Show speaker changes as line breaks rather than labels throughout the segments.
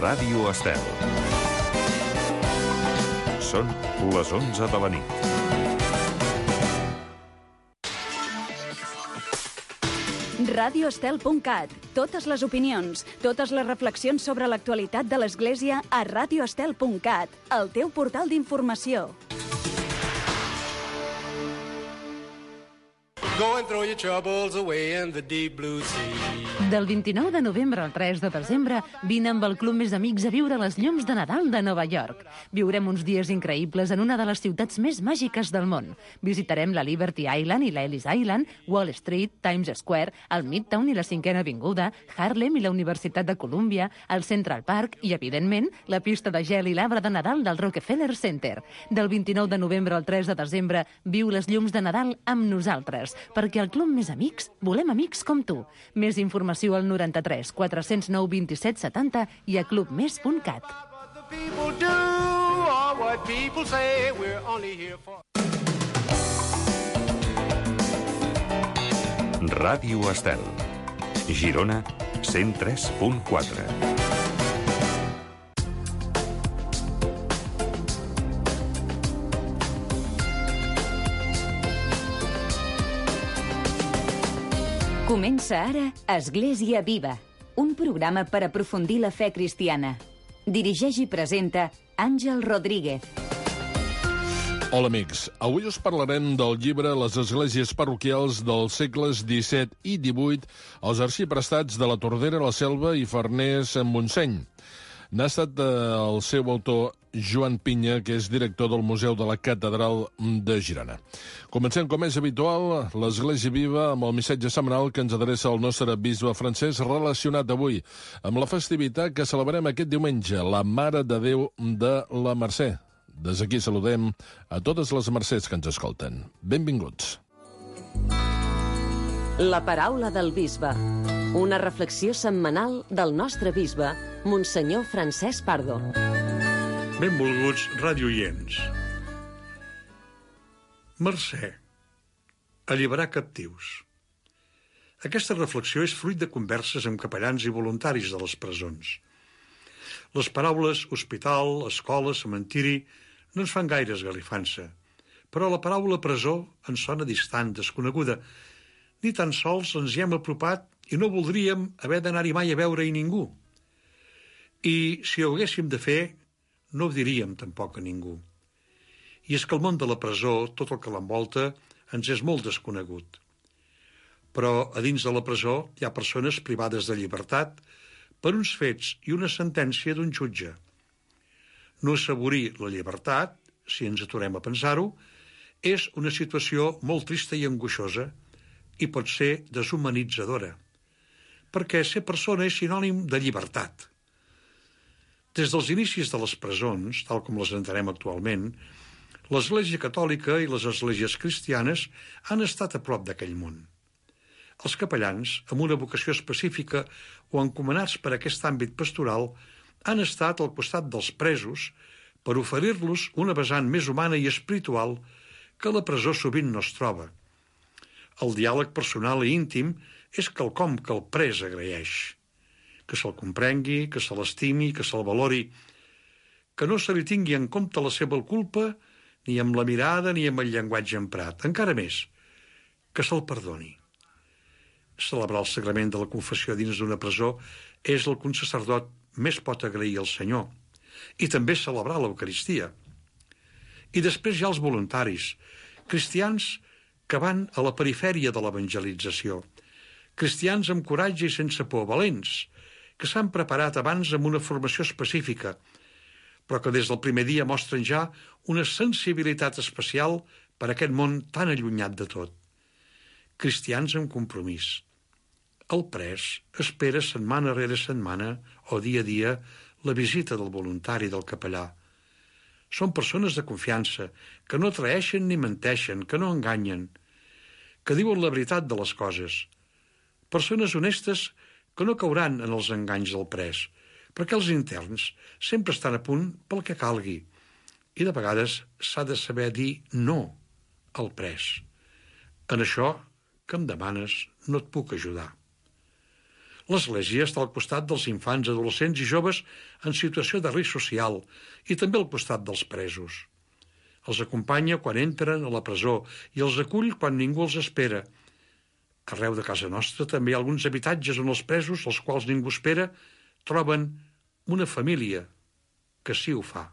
Ràdio Estel. Són les 11 de la nit.
radioestel.cat. Totes les opinions, totes les reflexions sobre l'actualitat de l'Església a radioestel.cat, el teu portal d'informació.
Go and throw your troubles away in the deep blue sea.
Del 29 de novembre al 3 de desembre, vine amb el Club Més Amics a viure les llums de Nadal de Nova York. Viurem uns dies increïbles en una de les ciutats més màgiques del món. Visitarem la Liberty Island i la Ellis Island, Wall Street, Times Square, el Midtown i la 5ª Avinguda, Harlem i la Universitat de Columbia, el Central Park i, evidentment, la pista de gel i l'arbre de Nadal del Rockefeller Center. Del 29 de novembre al 3 de desembre, viu les llums de Nadal amb nosaltres, perquè al Club Més Amics volem amics com tu. Més informació al 93 409 27 70 i a clubmes.cat.
Ràdio Estel. Girona, 103.4.
Comença ara Església Viva, un programa per aprofundir la fe cristiana. Dirigeix i presenta Àngel Rodríguez.
Hola, amics. Avui us parlarem del llibre Les esglésies parroquials dels segles XVII i XVIII, els arxiprestats de la Tordera, la Selva i Farners en Montseny. N'ha estat el seu autor Joan Pinya, que és director del Museu de la Catedral de Girona. Comencem, com és habitual, l'Església Viva amb el missatge setmanal que ens adreça el nostre bisbe francès, relacionat avui amb la festivitat que celebrem aquest diumenge, la Mare de Déu de la Mercè. Des d'aquí saludem a totes les mercès que ens escolten. Benvinguts.
La paraula del bisbe. Una reflexió setmanal del nostre bisbe, Monsenyor Francesc Pardo.
Benvolguts radioients. Mercè. Alliberar captius. Aquesta reflexió és fruit de converses amb capellans i voluntaris de les presons. Les paraules hospital, escola, cementiri no ens fan gaire esgarrifança, però la paraula presó ens sona distant, desconeguda. Ni tan sols ens hi hem apropat i no voldríem haver d'anar-hi mai a veure-hi ningú. I si ho haguéssim de fer, no ho diríem tampoc a ningú. I és que el món de la presó, tot el que l'envolta, ens és molt desconegut. Però a dins de la presó hi ha persones privades de llibertat per uns fets i una sentència d'un jutge. No assaborir la llibertat, si ens aturem a pensar-ho, és una situació molt trista i angoixosa i pot ser deshumanitzadora, perquè ser persona és sinònim de llibertat. Des dels inicis de les presons, tal com les entenem actualment, l'Església Catòlica i les esglésies cristianes han estat a prop d'aquell món. Els capellans, amb una vocació específica o encomanats per aquest àmbit pastoral, han estat al costat dels presos per oferir-los una vessant més humana i espiritual que la presó sovint no es troba. El diàleg personal i íntim és quelcom que el pres agraeix. Que se'l comprengui, que se l'estimi, que se'l valori, que no se li tingui en compte la seva culpa ni amb la mirada ni amb el llenguatge emprat. Encara més, que se'l perdoni. Celebrar el sagrament de la confessió dins d'una presó és el que un sacerdot més pot agrair al Senyor. I també celebrar l'Eucaristia. I després hi ha els voluntaris, cristians que van a la perifèria de l'evangelització, cristians amb coratge i sense por, valents, que s'han preparat abans amb una formació específica, però que des del primer dia mostren ja una sensibilitat especial per a aquest món tan allunyat de tot. Cristians amb compromís. El pres espera setmana rere setmana o dia a dia la visita del voluntari del capellà. Són persones de confiança, que no traeixen ni menteixen, que no enganyen, que diuen la veritat de les coses. Persones honestes que no cauran en els enganys del pres, perquè els interns sempre estan a punt pel que calgui, i de vegades s'ha de saber dir no al pres. En això que em demanes no et puc ajudar. L'Església està al costat dels infants, adolescents i joves en situació de risc social i també al costat dels presos. Els acompanya quan entren a la presó i els acull quan ningú els espera. Arreu de casa nostra també hi ha alguns habitatges on els presos, els quals ningú espera, troben una família que sí ho fa.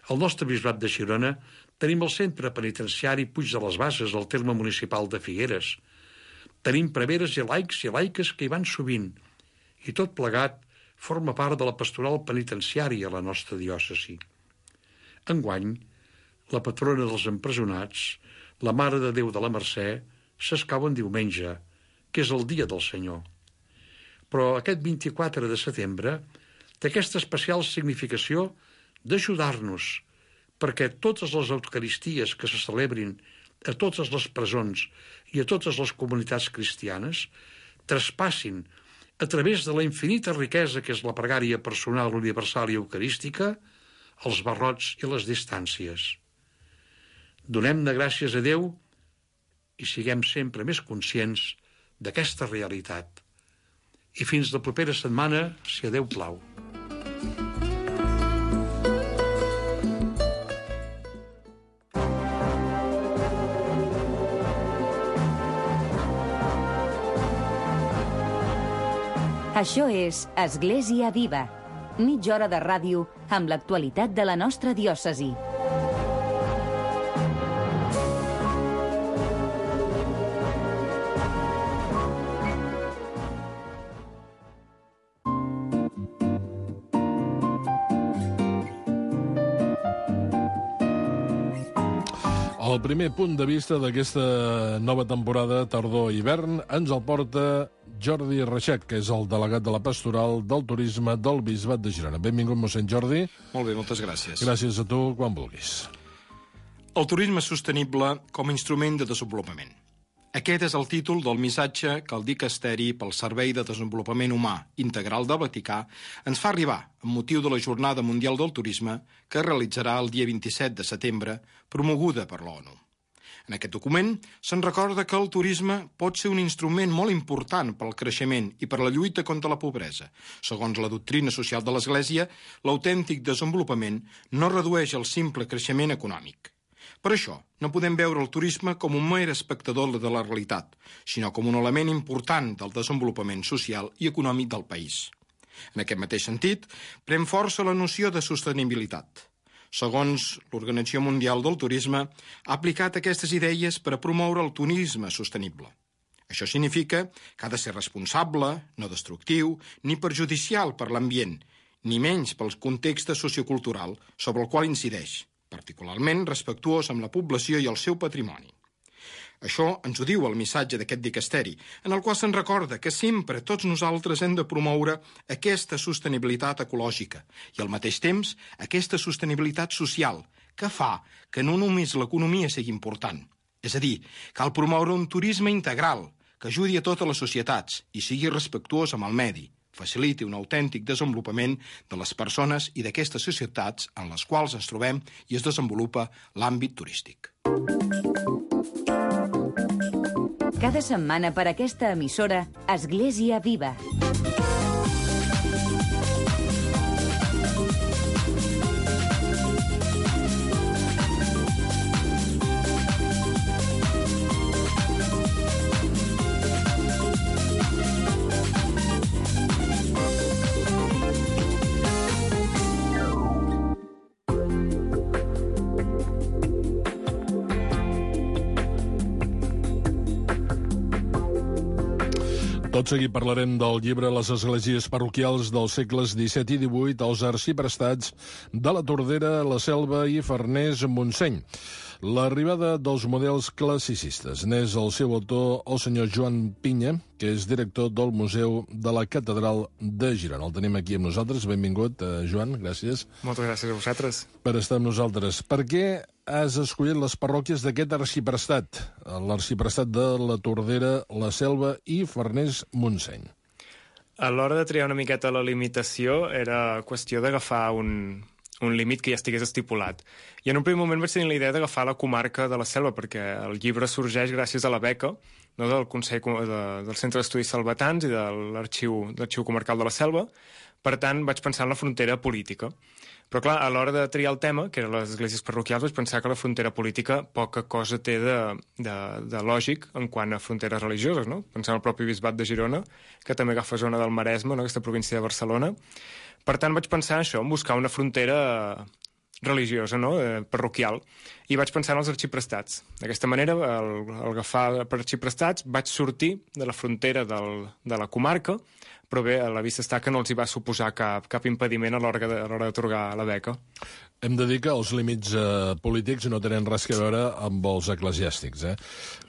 Al nostre bisbat de Girona tenim el centre penitenciari Puig de les Bases, al terme municipal de Figueres. Tenim preveres i laics i laiques que hi van sovint, i tot plegat forma part de la pastoral penitenciària a la nostra diòcesi. Enguany, la patrona dels empresonats, la Mare de Déu de la Mercè, s'escau en diumenge, que és el dia del Senyor. Però aquest 24 de setembre té aquesta especial significació d'ajudar-nos perquè totes les eucaristies que se celebrin a totes les presons i a totes les comunitats cristianes traspassin a través de la infinita riquesa que és la pregària personal, universal i eucarística els barrots i les distàncies. Donem-ne gràcies a Déu i siguem sempre més conscients d'aquesta realitat. I fins la propera setmana, si a Déu plau.
Això és Església Viva, mitja hora de ràdio amb l'actualitat de la nostra diòcesi.
El primer punt de vista d'aquesta nova temporada tardor-hivern ens el porta Jordi Reixac, que és el delegat de la Pastoral del Turisme del Bisbat de Girona. Benvingut, mossèn Jordi.
Molt bé, moltes gràcies.
Gràcies a tu, quan vulguis.
El turisme sostenible com a instrument de desenvolupament. Aquest és el títol del missatge que el Dicasteri pel Servei de Desenvolupament Humà Integral del Vaticà ens fa arribar amb motiu de la Jornada Mundial del Turisme que es realitzarà el dia 27 de setembre, promoguda per l'ONU. En aquest document se'n recorda que el turisme pot ser un instrument molt important pel creixement i per la lluita contra la pobresa. Segons la doctrina social de l'Església, l'autèntic desenvolupament no redueix el simple creixement econòmic. Per això, no podem veure el turisme com un mer espectador de la realitat, sinó com un element important del desenvolupament social i econòmic del país. En aquest mateix sentit, pren força la noció de sostenibilitat. Segons l'Organització Mundial del Turisme, ha aplicat aquestes idees per a promoure el turisme sostenible. Això significa que ha de ser responsable, no destructiu, ni perjudicial per l'ambient, ni menys pel context sociocultural sobre el qual incideix, particularment respectuós amb la població i el seu patrimoni. Això ens ho diu el missatge d'aquest dicasteri, en el qual se'n recorda que sempre tots nosaltres hem de promoure aquesta sostenibilitat ecològica i al mateix temps aquesta sostenibilitat social, que fa que no només l'economia sigui important. És a dir, cal promoure un turisme integral que ajudi a totes les societats i sigui respectuós amb el medi, faciliti un autèntic desenvolupament de les persones i d'aquestes societats en les quals ens trobem i es desenvolupa l'àmbit turístic.
Cada setmana per aquesta emissora, Església Viva.
Tot seguit parlarem del llibre Les esglésies parroquials dels segles XVII i XVIII als arxiprestats de la Tordera, la Selva i Farners-Montseny. L'arribada dels models classicistes n'és el seu autor, el senyor Joan Pinya, que és director del Museu de la Catedral de Girona. El tenim aquí amb nosaltres. Benvingut, Joan, gràcies.
Moltes gràcies a vosaltres.
Per estar amb nosaltres. Per què has escollit les parròquies d'aquest arxiprestat? L'arxiprestat de la Tordera, la Selva i Farners-Montseny.
A l'hora de triar una miqueta la limitació era qüestió d'agafar un límit que ja estigués estipulat. I en un primer moment vaig tenir la idea d'agafar la comarca de la Selva, perquè el llibre sorgeix gràcies a la beca no, del Consell del Centre d'Estudis Salvatans i de l'Arxiu Comarcal de la Selva. Per tant, vaig pensar en la frontera política. Però, clar, a l'hora de triar el tema, que eren les esglésies parroquials, vaig pensar que la frontera política poca cosa té de lògic en quant a fronteres religioses, no? Pensant en el propi bisbat de Girona, que també agafa zona del Maresme, no? Aquesta província de Barcelona. Per tant, vaig pensar això, en buscar una frontera religiosa, no? Parroquial, i vaig pensar en els arxiprestats. D'aquesta manera, al agafar per arxiprestats, vaig sortir de la frontera de la comarca, però bé, a la vista està que no els hi va suposar cap impediment a l'hora d'atorgar la beca.
Hem de dir que els límits polítics no tenen res a veure amb els eclesiàstics.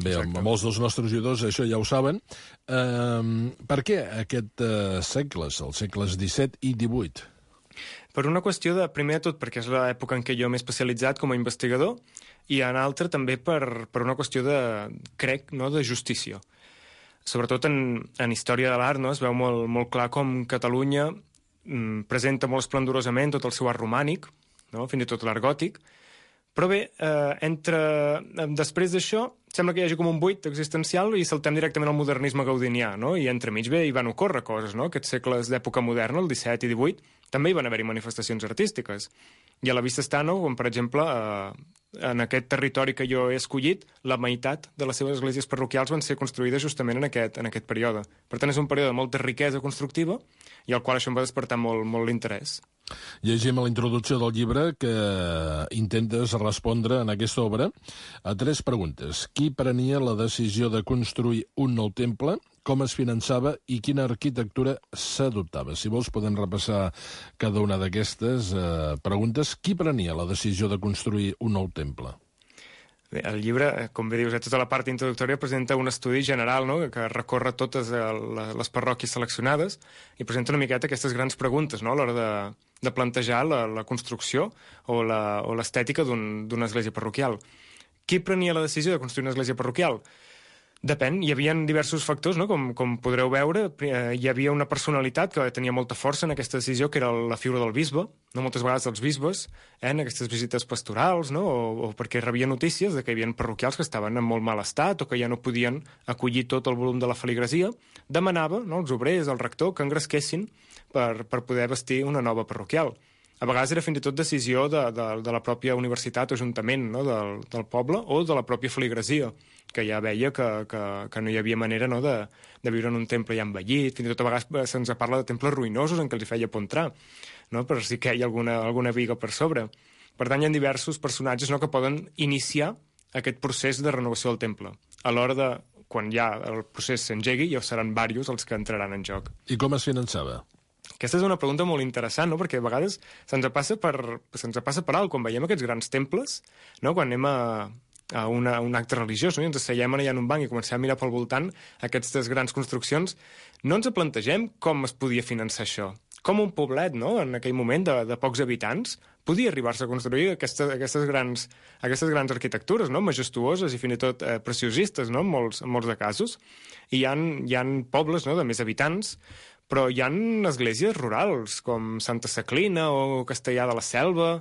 Bé, amb molts dels nostres oïdors això ja ho saben. Per què aquests segles, els segles XVII i XVIII?
Per una qüestió de, primer de tot, perquè és l'època en què jo m'he especialitzat com a investigador, i en altra també per una qüestió de, crec, no, de justícia. Sobretot en història de l'art, no? Es veu molt clar com Catalunya presenta molt esplendorosament tot el seu art romànic, no? Fins i tot l'art gòtic, però bé, després d'això sembla que hi hagi com un buit existencial i saltem directament al modernisme gaudinià, no? I entremig bé hi van ocórrer coses, no? Aquests segles d'època moderna, el XVII i XVIII, també hi van haver-hi manifestacions artístiques. I a la vista està, no? Com per exemple, en aquest territori que jo he escollit, la meitat de les seves esglésies parroquials van ser construïdes justament en aquest període. Per tant, és un període de molta riquesa constructiva i al qual això em va despertar molt l'interès.
Llegim a la introducció del llibre que intentes respondre en aquesta obra a 3 preguntes. Qui prenia la decisió de construir un nou temple? Com es finançava i quina arquitectura s'adoptava? Si vols, podem repassar cada una d'aquestes preguntes. Qui prenia la decisió de construir un nou temple?
Bé, el llibre, com bé dius, tota la part introductòria presenta un estudi general, no?, que recorre totes les parròquies seleccionades i presenta una miqueta aquestes grans preguntes, no?, a l'hora de plantejar la construcció o l'estètica d'una església parroquial. Qui prenia la decisió de construir una església parroquial? Depèn, hi havia diversos factors, no? Com podreu veure, hi havia una personalitat que tenia molta força en aquesta decisió, que era la figura del bisbe, no? Moltes vegades els bisbes, en aquestes visites pastorals, no? O perquè rebien notícies de que hi havia parroquials que estaven en molt mal estat o que ja no podien acollir tot el volum de la feligresia, demanava, no?, als obrers, al rector, que engresquessin per poder vestir una nova parroquial. A vegades era fins i tot decisió de la pròpia universitat o ajuntament, no?, del poble o de la pròpia feligresia, que ja veia que no hi havia manera, no?, de viure en un temple ja envellit. Fins i tot a vegades se'ns parla de temples ruïnosos en què els hi feia por entrar, no?, per si queia alguna viga per sobre. Per tant, hi ha diversos personatges, no?, que poden iniciar aquest procés de renovació del temple. A l'hora de, quan ja el procés s'engegui, ja seran diversos els que entraran en joc.
I com es finançava?
Aquesta és una pregunta molt interessant, no?, perquè a vegades se'ns passa per alt quan veiem aquests grans temples, no?, quan anem a un acte religiós, no?, i ens asseiem allà en un banc i comencem a mirar pel voltant aquestes grans construccions, no ens plantegem com es podia finançar això. Com un poblet, no?, en aquell moment de pocs habitants, podia arribar-se a construir aquestes grans arquitectures, no?, majestuoses i fins i tot preciosistes, no?, en molts de casos. I hi ha pobles, no?, de més habitants, però hi ha esglésies rurals, com Santa Saclina o Castellar de la Selva,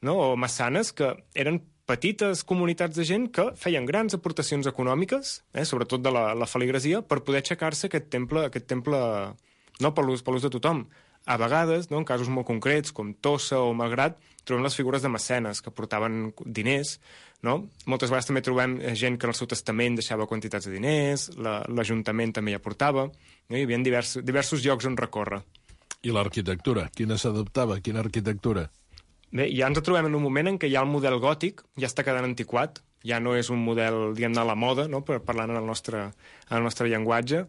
no?, o Massanes, que eren petites comunitats de gent que feien grans aportacions econòmiques, sobretot de la feligresia, per poder aixecar-se aquest temple no per l'ús de tothom. A vegades, no, en casos molt concrets, com Tossa o Malgrat, trobem les figures de mecenes que portaven diners, no? Moltes vegades també trobem gent que en el seu testament deixava quantitats de diners, l'Ajuntament també hi aportava, no? Hi havia diversos llocs on recórrer.
I l'arquitectura? Quina s'adoptava? Quina arquitectura?
Bé, ja ens trobem en un moment en què ja el model gòtic ja està quedant antiquat, ja no és un model, diguem-ne, a la moda, no?, parlant en el nostre llenguatge,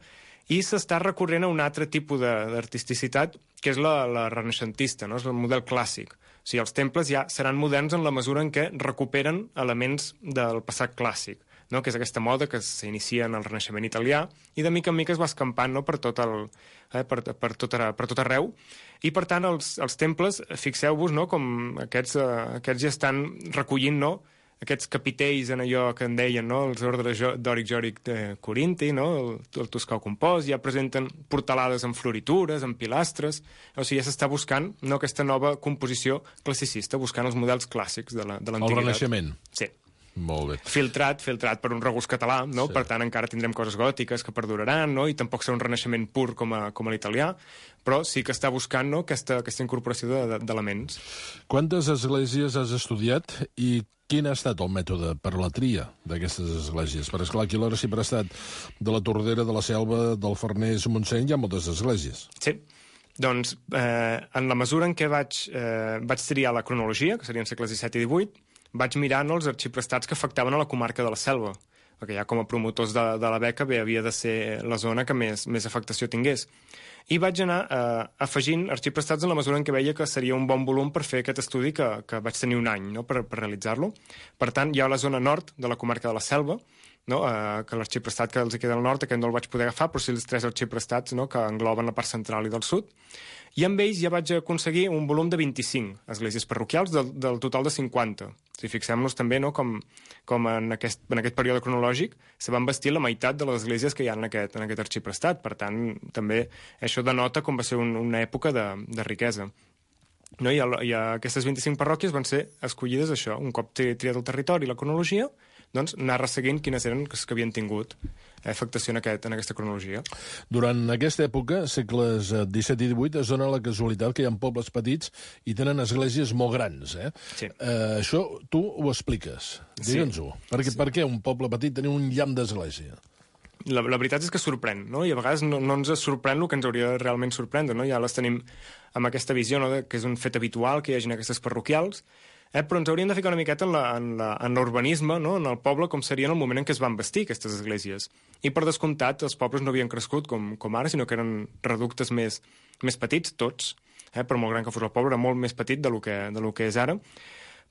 i s'està recorrent a un altre tipus d'artisticitat, que és la renaixentista, no?, és el model clàssic. O sigui, els temples ja seran moderns en la mesura en què recuperen elements del passat clàssic, no?, que és aquesta moda que s'inicia en el Renaixement italià i de mica en mica es va escampant, no?, per tot arreu. I, per tant, els temples, fixeu-vos, no?, com aquests ja estan recollint, no?, aquests capitells en allò que en deien, no?, els ordres dòric-jòric corinti, no?, el toscà compost, ja presenten portalades amb floritures, amb pilastres, o sigui, ja s'està buscant, no?, aquesta nova composició classicista, buscant els models clàssics de l'antiguitat.
El Renaixement.
Sí.
Molt bé.
Filtrat per un regust català, no?
Sí.
Per tant, encara tindrem coses gòtiques que perduraran, no? I tampoc serà un renaixement pur com a l'italià, però sí que està buscant, no?, aquesta incorporació d'elements.
Quantes esglésies has estudiat i quin ha estat el mètode per la tria d'aquestes esglésies? Per esclar, aquí a l'Arxiprestat de la Tordera, de la Selva, del Farners, Montseny, hi ha moltes esglésies.
Sí. Doncs, en la mesura en què vaig triar la cronologia, que serien segles XVII i XVIII, vaig mirar, no, els arxiprestats que afectaven a la comarca de la Selva, perquè ja com a promotors de la beca havia de ser la zona que més afectació tingués. I vaig anar afegint arxiprestats en la mesura en què veia que seria un bon volum per fer aquest estudi que vaig tenir un any, no?, per realitzar-lo. Per tant, hi ha la zona nord de la comarca de la Selva, no?, que l'arxiprestat que els queda al nord, aquest no el vaig poder agafar, però sí els 3 arxiprestats, no?, que engloben la part central i del sud. I amb ells ja vaig aconseguir un volum de 25 esglésies parroquials del total de 50. Si fixem-nos també, no?, com en aquest període cronològic se van vestir la meitat de les esglésies que hi ha en aquest arxiprestat. Per tant, també això denota com va ser una època de riquesa. No? I aquestes 25 parròquies van ser escollides això, un cop triat el territori i la cronologia, doncs anar resseguint quines eren les que havien tingut afectació en aquesta cronologia.
Durant aquesta època, segles XVII i XVIII, es dona la casualitat que hi ha pobles petits i tenen esglésies molt grans.
Sí.
Això tu ho expliques. Digue'ns-ho.
Sí.
Per què un poble petit tenia un llamp d'església?
La veritat és que sorprèn, no? I a vegades no ens sorprèn el que ens hauria de realment sorprendre, no? Ja les tenim amb aquesta visió, no?, que és un fet habitual que hi hagin aquestes parroquials, però ens hauríem de ficar una miqueta en l'urbanisme, no?, en el poble, com seria en el moment en què es van bastir aquestes esglésies. I per descomptat, els pobles no havien crescut com ara, sinó que eren reductes més petits, tots, per molt gran que fos el poble, era molt més petit de lo que és ara.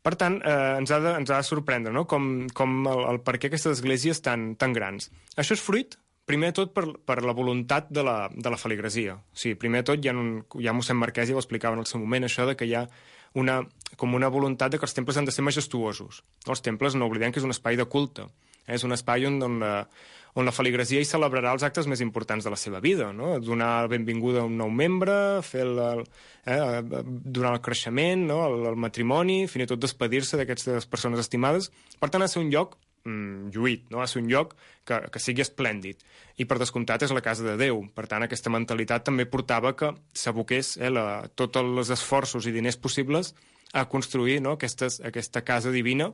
Per tant, ens ha de sorprendre, no?, com el per què aquestes esglésies tan grans. Això és fruit, primer de tot, per la voluntat de la feligresia. O sigui, primer de tot, ja mossèn Marquès ja ho explicava en el seu moment, això de que hi ha com una voluntat de que els temples han de ser majestuosos. Els temples, no oblidem que és un espai de culte. És un espai on la feligresia hi celebrarà els actes més importants de la seva vida, no? Donar benvinguda a un nou membre, donar el creixement, no?, el matrimoni, fins i tot despedir-se d'aquestes persones estimades. Per tant, ha de ser un lloc lluït, no? Ha de ser un lloc que sigui esplèndid. I per descomptat és la casa de Déu. Per tant, aquesta mentalitat també portava que s'aboqués tots els esforços i diners possibles a construir, no?, aquesta casa divina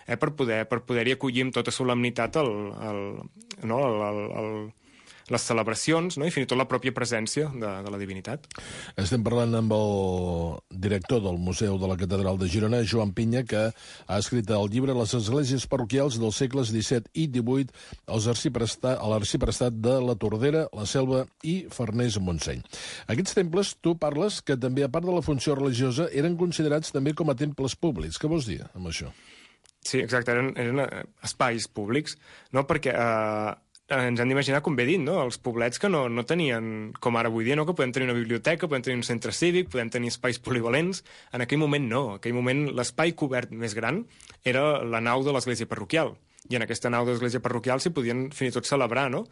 per poder-hi acollir amb tota solemnitat les celebracions, no?, i fins i tot la pròpia presència de la divinitat.
Estem parlant amb el director del Museu de la Catedral de Girona, Joan Pinya, que ha escrit el llibre Les esglésies parroquials dels segles XVII i XVIII a l'Arxiprestat de la Tordera, la Selva i Farners Montseny. Aquests temples, tu parles que també, a part de la funció religiosa, eren considerats també com a temples públics. Què vols dir amb això?
Sí, exacte, eren espais públics, no?, perquè ens hem d'imaginar, com bé dit, no?, els poblets que no tenien, com ara avui dia, no?, que podem tenir una biblioteca, podem tenir un centre cívic, podem tenir espais polivalents. En aquell moment no. En aquell moment l'espai cobert més gran era la nau de l'església parroquial. I en aquesta nau de l'església parroquial s'hi podien fins i tot celebrar, no?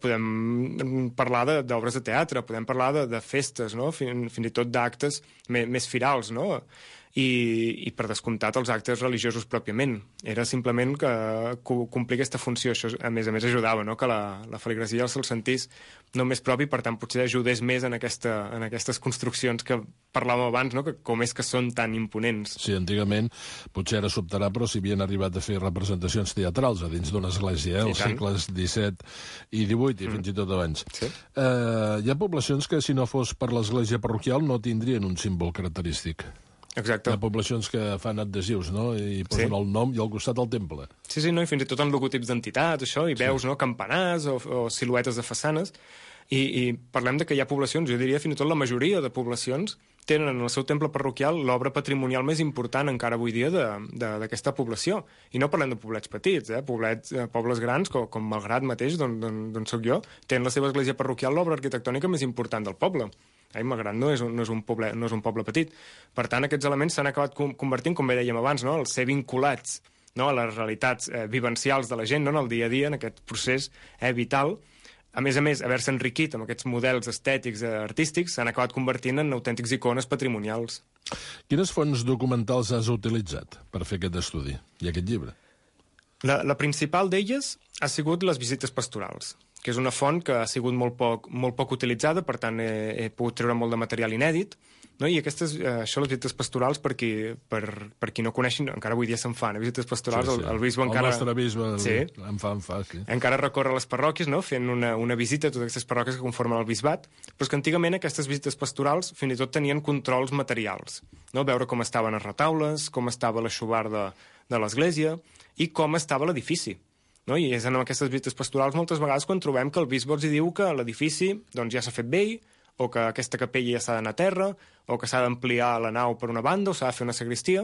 Podem parlar d'obres de teatre, podem parlar de festes, no?, fins i tot d'actes més firals, no?, i per descomptat els actes religiosos pròpiament. Era simplement que complir aquesta funció. Això, a més ajudava, no?, que la feligresia se'l sentís no més propi, per tant, potser ajudés més en aquestes construccions que parlàvem abans, no?, que com és que són tan imponents.
Sí, antigament, potser ara sobtarà, però si havien arribat a fer representacions teatrals a dins d'una església, als segles XVII i XVIII, i fins i tot abans.
Sí.
Hi ha poblacions que, si no fos per l'església parroquial, no tindrien un símbol característic.
Exacte.
Hi ha poblacions que fan adhesius, no?, i posen el nom i al costat el temple.
Sí, no? I fins i tot en logotips d'entitats, això, i veus, no?, campanars o siluetes de façanes. I parlem de que hi ha poblacions, jo diria fins i tot la majoria de poblacions tenen en el seu temple parroquial l'obra patrimonial més important encara avui dia d'aquesta població. I no parlem de poblets petits, pobles grans, com Malgrat mateix, d'on soc jo, tenen la seva església parroquial l'obra arquitectònica més important del poble. Malgrat no és un poble petit. Per tant, aquests elements s'han acabat convertint, com bé dèiem abans, no?, al ser vinculats, no?, a les realitats vivencials de la gent, no?, en el dia a dia, en aquest procés vital. A més, haver-se enriquit amb aquests models estètics, artístics, s'han acabat convertint en autèntics icones patrimonials.
Quines fonts documentals has utilitzat per fer aquest estudi i aquest llibre?
La principal d'elles ha sigut les visites pastorals, que és una font que ha sigut molt poc utilitzada, per tant he pogut treure molt de material inèdit, no? I això, les visites pastorals, per qui no coneixin, encara avui dia se'n fan, visites pastorals, sí. El bisbe encara...
El nostre bisbe
sí.
en fa, sí.
Encara recorre les parròquies, no? Fent una visita a totes aquestes parròquies que conformen el bisbat, però és que antigament aquestes visites pastorals fins i tot tenien controls materials, no? Veure com estaven els retaules, com estava l'aixovar de l'església i com estava l'edifici. No? I és en aquestes visites pastorals moltes vegades quan trobem que el bisbe els diu que l'edifici doncs, ja s'ha fet vell, o que aquesta capella ja s'ha d'anar a terra, o que s'ha d'ampliar la nau per una banda, o s'ha de fer una sagristia.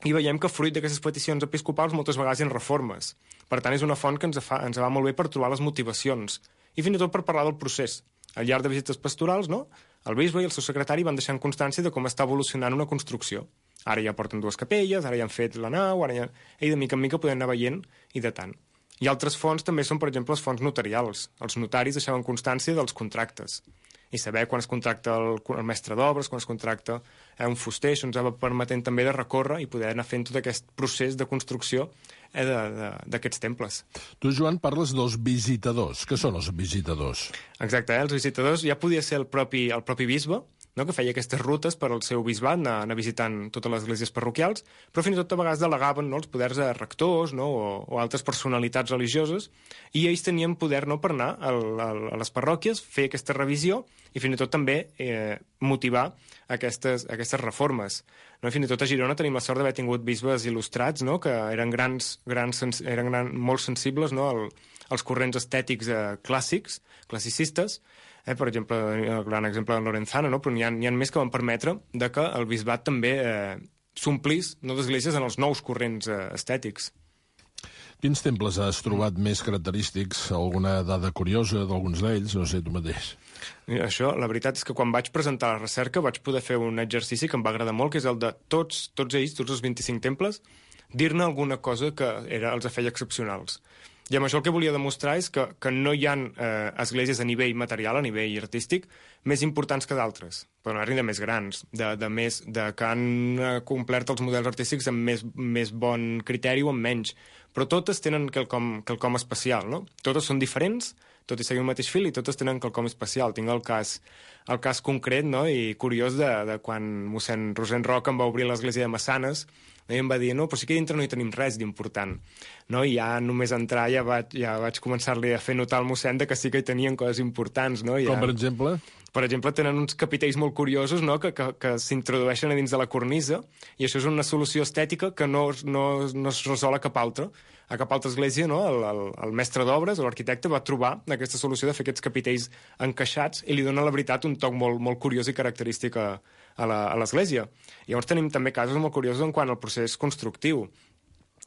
I veiem que fruit d'aquestes peticions episcopals moltes vegades hi ha reformes. Per tant, és una font que ens va molt bé per trobar les motivacions i fins i tot per parlar del procés. Al llarg de visites pastorals, no? El bisbe i el seu secretari van deixant constància de com està evolucionant una construcció. Ara ja porten 2 capelles, ara ja han fet la nau, ara ja... I de mica en mica podem anar veient i datant. I altres fonts també són, per exemple, les fonts notarials. Els notaris deixaven constància dels contractes. I saber quan es contracta el mestre d'obres, quan es contracta un fuster, això ens va permetent també de recórrer i poder anar fent tot aquest procés de construcció d'aquests temples.
Tu, Joan, parles dels visitadors. Què són els visitadors?
Exacte, els visitadors ja podia ser el propi bisbe, no? Que feia aquestes rutes per al seu bisbat, anar visitant totes les esglésies parroquials, però fins i tot a vegades delegaven, no? Els poders a rectors, no? o altres personalitats religioses, i ells tenien poder, no? Per anar a les parròquies, fer aquesta revisió i fins i tot també motivar aquestes reformes. No? I fins i tot a Girona tenim la sort d'haver tingut bisbes il·lustrats, no? Que eren molt sensibles, no? als corrents estètics classicistes. Per exemple, el gran exemple de Lorenzana, no? Però n'hi ha més que van permetre que el bisbat també s'omplís d'esglésies en els nous corrents estètics.
Quins temples has trobat més característics? Alguna dada curiosa d'alguns d'ells? No sé, tu mateix.
Això, la veritat és que quan vaig presentar la recerca vaig poder fer un exercici que em va agradar molt, que és el de tots ells, tots els 25 temples, dir-ne alguna cosa que els feia excepcionals. I amb això el que volia demostrar és que no hi ha esglésies a nivell material, a nivell artístic, més importants que d'altres, però no de més grans, que han complert els models artístics amb més bon criteri o amb menys. Però totes tenen quelcom especial, no? Totes són diferents, tot i seguir el mateix fil, i totes tenen quelcom especial. Tinc el cas concret, no? I curiós de quan mossèn Rosent Roca em va obrir l'església de Massanes, i em va dir, no, però sí que dintre no hi tenim res d'important. No? I ja només entrar ja vaig començar-li a fer notar al mossèn que sí que hi tenien coses importants. No?
Com per exemple?
Per exemple, tenen uns capitells molt curiosos, no? que s'introdueixen a dins de la cornisa, i això és una solució estètica que no es resol a cap altra. A cap altra església, no? El mestre d'obres, l'arquitecte, va trobar aquesta solució de fer aquests capitells encaixats i li dona, la veritat, un toc molt, molt curiós i característic a l'església. Llavors tenim també casos molt curiosos en quant al procés constructiu.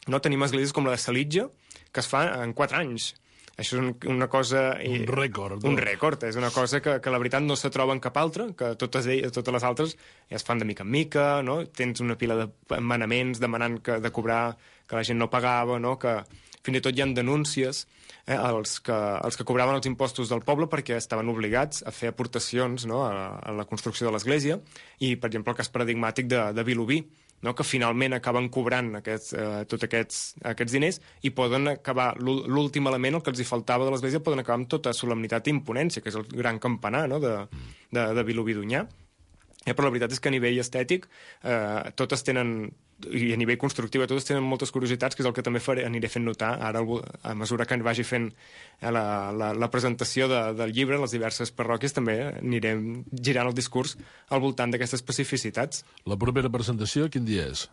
No? Tenim esglésies com la de Salitja, que es fa en 4 anys. Això és una cosa...
Un rècord.
Un rècord. És una cosa que la veritat no se troba en cap altra, que totes les altres ja es fan de mica en mica, no? Tens una pila de manaments demanant de cobrar, que la gent no pagava, no? Que fins i tot hi ha denúncies els que cobraven els impostos del poble perquè estaven obligats a fer aportacions, no? a la construcció de l'església, i, per exemple, el cas paradigmàtic de Vilobí, no? Que finalment acaben cobrant tots aquests diners i poden acabar, l'últim element, el que els hi faltava de l'església, poden acabar amb tota solemnitat i imponència, que és el gran campanar, no? de Vilobí d'Onyar. Però la veritat és que a nivell estètic totes tenen, i a nivell constructiu totes tenen moltes curiositats, que és el que també aniré fent notar ara a mesura que vagi fent la presentació del llibre, les diverses parròquies, també anirem girant el discurs al voltant d'aquestes especificitats.
La propera presentació quin dia és?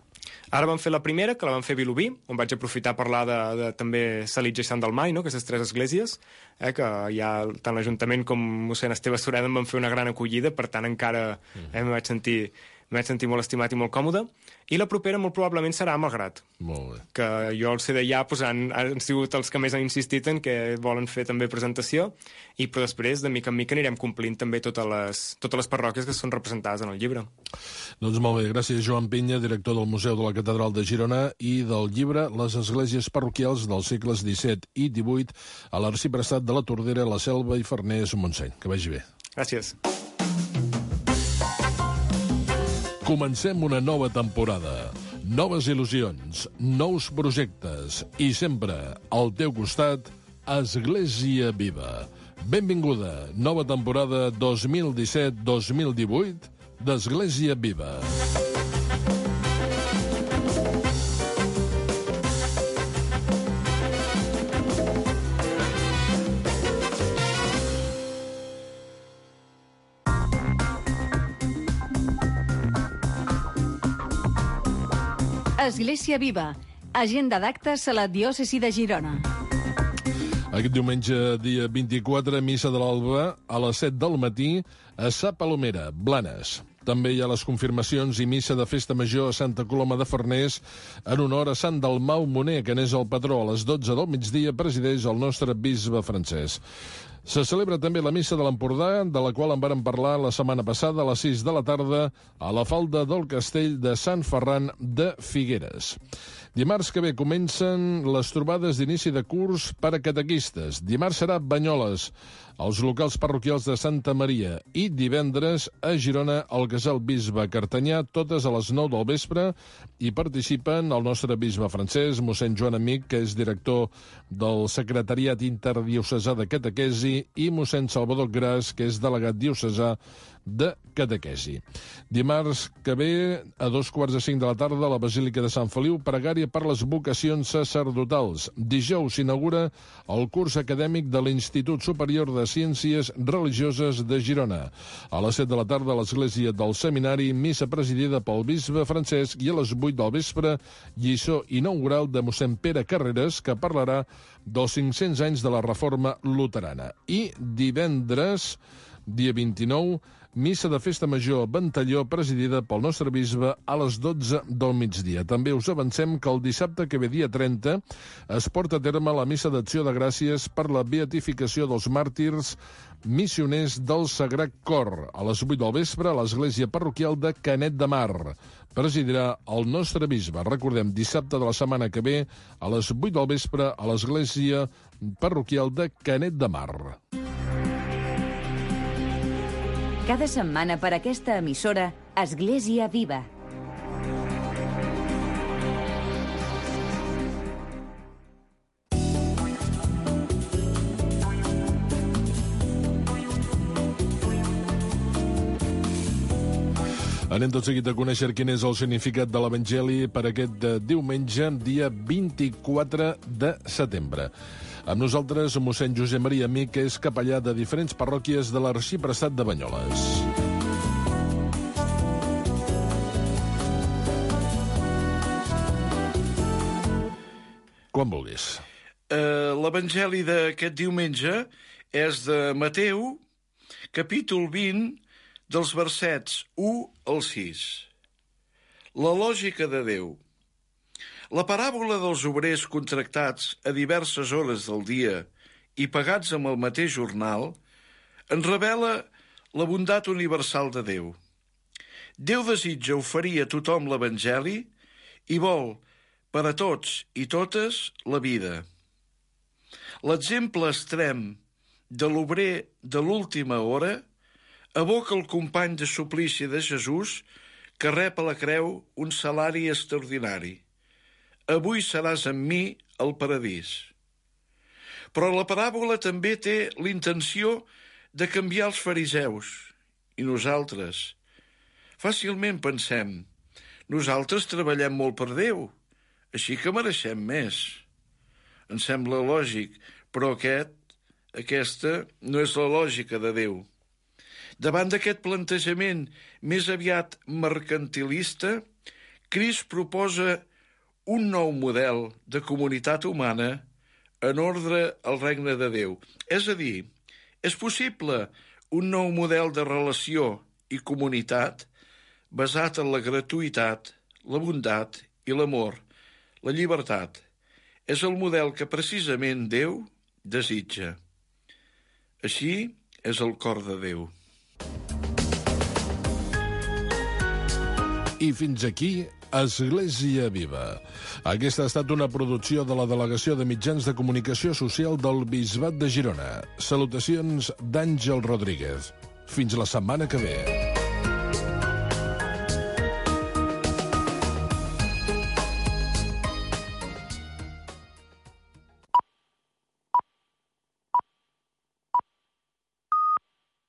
Ara vam fer la primera, que la vam fer a Vilobí, on vaig aprofitar a parlar de també Salitja i Sant Dalmai, no? Aquestes 3 esglésies, que ja tant l'Ajuntament com mossèn Esteve Sureda em van fer una gran acollida, per tant encara em vaig sentir molt estimat i molt còmode. I la propera molt probablement serà a Malgrat.
Molt bé.
Que jo al ser d'allà han sigut els que més han insistit en que volen fer també presentació, però després, de mica en mica, anirem complint també totes les parròquies que són representades en el llibre.
Doncs molt bé, gràcies Joan Pinya, director del Museu de la Catedral de Girona, i del llibre Les esglésies parroquials dels segles XVII i XVIII a l'arxiprestat de la Tordera, la Selva i Farners, Montseny. Que vagi bé.
Gràcies.
Comencem una nova temporada. Noves il·lusions, nous projectes i sempre al teu costat, Església Viva. Benvinguda, nova temporada 2017-2018 d'Església Viva.
Església Viva, agenda d'actes a la diòcesi de Girona.
Aquest diumenge, dia 24, missa de l'alba, a les 7 del matí, a Sa Palomera, Blanes. També hi ha les confirmacions i missa de festa major a Santa Coloma de Farners en honor a Sant Dalmau Moner, que n'és el patró. A les 12 del migdia presideix el nostre bisbe francès. Se celebra també la missa de l'Empordà, de la qual en vàrem parlar la setmana passada a les 6 de la tarda a la falda del castell de Sant Ferran de Figueres. Dimarts que ve comencen les trobades d'inici de curs per a catequistes. Dimarts serà Banyoles, als locals parroquials de Santa Maria, i divendres a Girona, al Casal Bisbe Cartanyà, totes a les 9 del vespre, i participen el nostre bisbe francès, mossèn Joan Amic, que és director del Secretariat Interdiocesà de Catequesi, i mossèn Salvador Gras, que és delegat diocesà de catequesi. Dimarts que ve, a 2:45 de la tarda, a la Basílica de Sant Feliu, pregària per les vocacions sacerdotals. Dijous s'inaugura el curs acadèmic de l'Institut Superior de Ciències Religioses de Girona. A les 7 de la tarda, a l'església del Seminari, missa presidida pel bisbe Francesc, i a les 8 del vespre, lliçó inaugural de mossèn Pere Carreras, que parlarà dels 500 anys de la Reforma Luterana. I divendres, dia 29, missa de festa major a Ventalló, presidida pel nostre bisbe, a les 12 del migdia. També us avancem que el dissabte que ve, dia 30, es porta a terme la missa d'acció de gràcies per la beatificació dels màrtirs missioners del Sagrat Cor, a les 8 del vespre, a l'església parroquial de Canet de Mar. Presidirà el nostre bisbe. Recordem, dissabte de la setmana que ve, a les 8 del vespre, a l'església parroquial de Canet de Mar.
Cada setmana per aquesta emissora, Església Viva.
Anem tot seguit a conèixer quin és el significat de l'Evangeli per aquest diumenge, dia 24 de setembre. Amb nosaltres, mossèn Josep Maria Amic, que és capellà de diferents parròquies de l'Arxiprestat de Banyoles. Quan vulguis.
L'Evangeli d'aquest diumenge és de Mateu, capítol 20, dels versets 1 al 6. La lògica de Déu. La paràbola dels obrers contractats a diverses hores del dia i pagats amb el mateix jornal ens revela la bondat universal de Déu. Déu desitja oferir a tothom l'Evangeli i vol, per a tots i totes, la vida. L'exemple extrem de l'obrer de l'última hora evoca el company de suplici de Jesús que rep a la creu un salari extraordinari. Avui seràs amb mi al paradís. Però la paràbola també té l'intenció de canviar els fariseus i nosaltres. Fàcilment pensem, nosaltres treballem molt per Déu, així que mereixem més. Ens sembla lògic, però aquesta no és la lògica de Déu. Davant d'aquest plantejament més aviat mercantilista, Crist proposa un nou model de comunitat humana en ordre al regne de Déu. És a dir, és possible un nou model de relació i comunitat basat en la gratuïtat, la bondat i l'amor, la llibertat. És el model que precisament Déu desitja. Així és el cor de Déu.
I fins aquí, Església Viva. Aquesta ha estat una producció de la Delegació de Mitjans de Comunicació Social del Bisbat de Girona. Salutacions d'Àngel Rodríguez. Fins la setmana que ve.